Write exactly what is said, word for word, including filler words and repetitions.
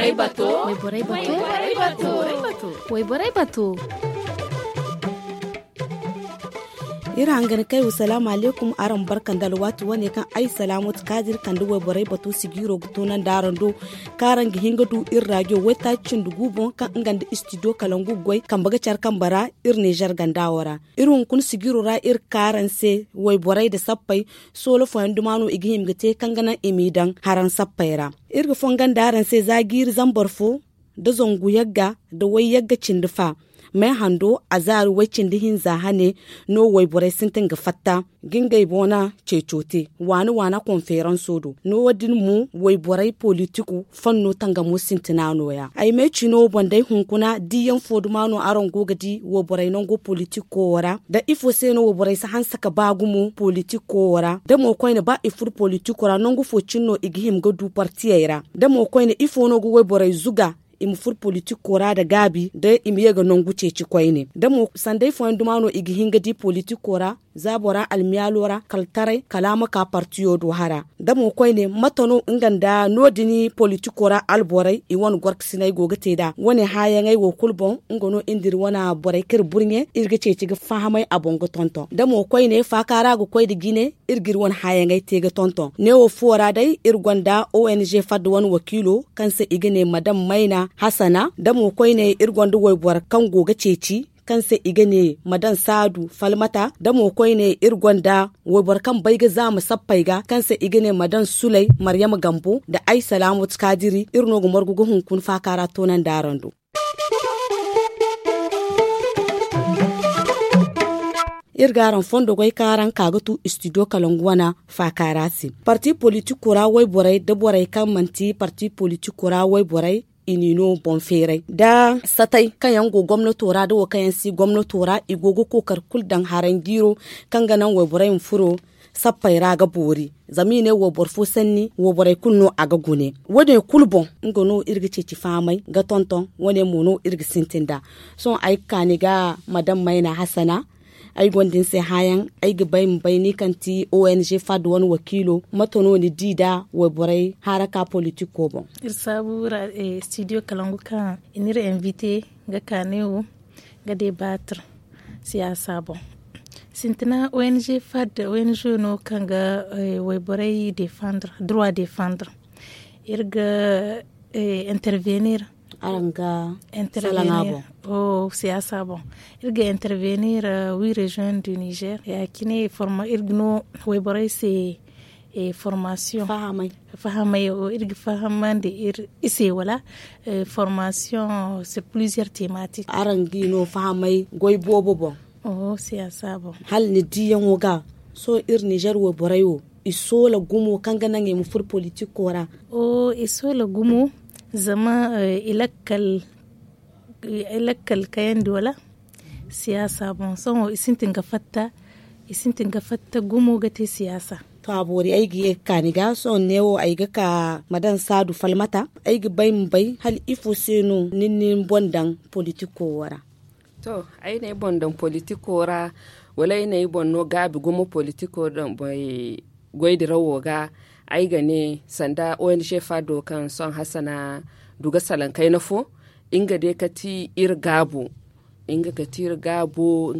Wayborey bato. Wayborey bato. Iri hangan kay wa salaamu alaykum, araŋ barka nda alwaati wane kaŋ ay salaamu ti kaadir kande wayborey bato sijiiro ga toonandi araŋ do, kaŋ araŋ ga hin ga du iri raajo waytaaci cindi gu boŋ kaŋ nga nda istidiyo kalangu ga goy kambe ga care kambe ra. Iri nizer ganda wo ra iri hunkuna sijiiro ra iri ga ka araŋ se wayborey nda sappey, soola fooyaŋ duma no i ga hima ga te kaŋ ga naŋ i m'i daŋ haraŋ sappey ra. Iri ga fongon da araŋ se za jiiri zambar fo nda zangu yagga nda way yagga cindi fa, may hando a zaari way cindi hinza hane no wayborey sintin ga fatta ga ngey boŋ na ceeco te waana waana konferanso do no- din mo wayborey politiko fanno tangamo sintina nooya ay meecino boŋ day hunkuna diiyaŋ fo duma no araŋ go ga di wayborey nango politiko wo ra da ifo se no wayborey si hanse ka ba gumo politiko wo ra da mo koyne ba i furo politiko ra nangu fo cine no i ga hima ga du partiyey ra da mo koyne ifo no ga wayborey zuga i ma furo politiko ra nda gaabi da i ma ye ga nangu ceeci koyne da mo sanday fooyaŋ duma no i ga hin ga di politiko ra za bora almiyaalo ra kala taray kala a ma ka partiyo do hara da mo koyne mate no nga nda no- din politiko ra alborey i wane gorkasiney go ga te nd'a wane hããyaŋey wo kulu boŋ. Nga no iri nda iri wane borey kaŋ iri burɲe iri ga ceeci ga fahamay a boŋ ga tonton da mo koyne faaka ra ga koy nda jine iri ga iri wane hããyaŋey te ga tonton neewo fo ra day iri gonda ong fadda wane wakiilo kaŋ se i ga ne madam mayna hasana da mo koyne iri gonda wayboro kaŋ go ga ceeci kaŋ se i ga ne madam saadu falmata da mo koyne iri gonda wayboro kaŋ bay ga zaama sappey ga kaŋ se i ga ne madam suley maryama gambo nda ay salaamu ti kaadiri iri no ga margu ga hunkuna faaka ra toonandi araŋ do. Iri ga araŋ fondo goy kaŋ araŋ ka ga tu istidiyo kalangu wana faaka ra se parti politiko ra wayborey nda borey kaŋ manti parti politiko ra wayborey i n'i no boŋ feeray nda satay kaŋ yaŋ go gomnato ra nda wo kaŋ yaŋ si gomnato ra i go ga kookari kulu daŋ haranjiiro kaŋ ga naŋ wayborey ma furo sappey ra ga boori. Zama i ne wayboro fo sanni wayborey kulu no a ga gune wo- din kulu boŋ nga no iri ga ceeci fahamay ga tonton wo- ne mo no iri ga sintin nd'a. Sohõ ay ga ka ni ga madam mayna hasana ay gonda ni se hããyaŋ ay ga bay ma bay ni kaŋ ti ong fadda wane wakiilo mate no ni di nda wayborey haraka politiko boŋ? Iri saabu ra studio kalangu kaŋ i n'iri invite ga ka ne wo ga debatir siyaasa boŋ. Sintina ong fadda ong no kaŋ ga wayborey defandre droit defandre iri ga intervenir araŋ ga salaŋa boŋ. Siyaasa boŋ iri ga intervenir wi reziyoŋ du nizer ya- cine iri ga no wayborey se formasiyoŋ fahamay iri ga fahamandi iri se wala formasiyoŋ se pliziyer tematik araŋ ga i no fahamay goy boobo boŋ. Siyaasa boŋ hala ni diiyaŋo ga sohõ iri nizer wayborey wo i soola gumo kaŋ ga naŋ i ma furo politiko ra? I soola gumo zama i lakkal kayandi wala siyaasa boŋ sohõ i sintin ga fatta i sintin ga fatta gumo ga te siyaasa. To a boori ay ga ye ga ka ni ga sohõ neewo ay ga ka ma daŋ saadu falmata ay ga bay ma bay hala ifo se no ni na ni boŋ daŋ politiko wo ra? To ay na ay boŋ daŋ politiko ra wala ay na ay boŋ no gaabi gumo politiko goy dirawo ga ay ga ne sanda ong fado kaŋ sohõ hasana du ga salaŋ kayna fo nga day ga ti iri gaabo nga ga ti iri gaabo.